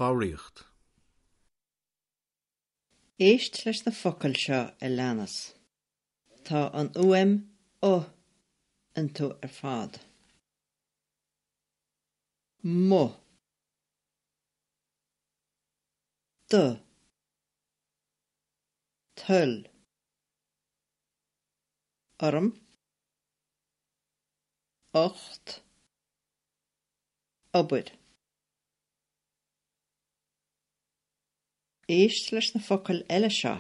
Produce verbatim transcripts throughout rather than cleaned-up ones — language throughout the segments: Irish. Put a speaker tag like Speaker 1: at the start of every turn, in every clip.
Speaker 1: Foghraíocht.
Speaker 2: Éist leis na focail seo a leanas. Tá an fhuaim u iontu ar fad. Mo. Do. Toil. Orm. Ocht. Obair. Éist leis na focail eile seo.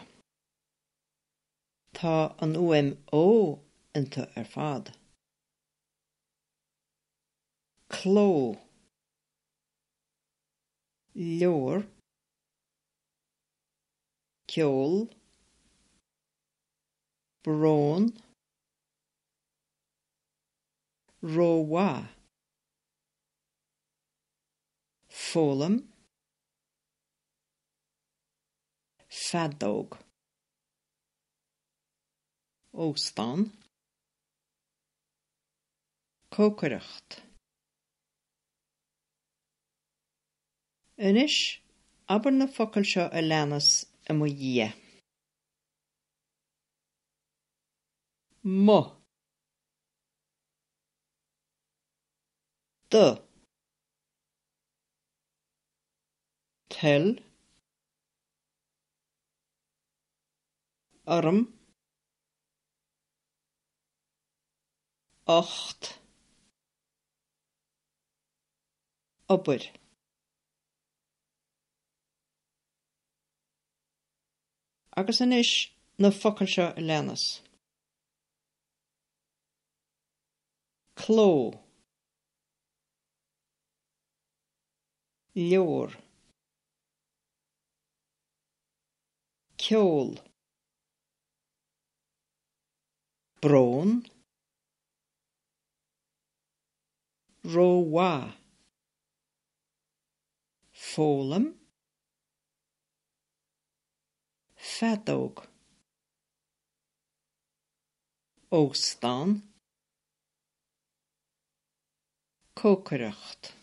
Speaker 2: Tá an fhuaim ó iontu ar fad. Cló. Leabhar. Ceol. Brón. Rómhaith. Foghlaim. Feadóg. Óstán. Cócaireacht. Anois, abair na focail seo a leanas i mo dhiaidh. Mo. Do. Toil. Orm. Ocht. Obair. Agus anois na focail seo a leanas. Cló. Leabhar. Ceol. Brón. Rómhaith. Foghlaim. Feadóg. Óstán. Cócaireacht.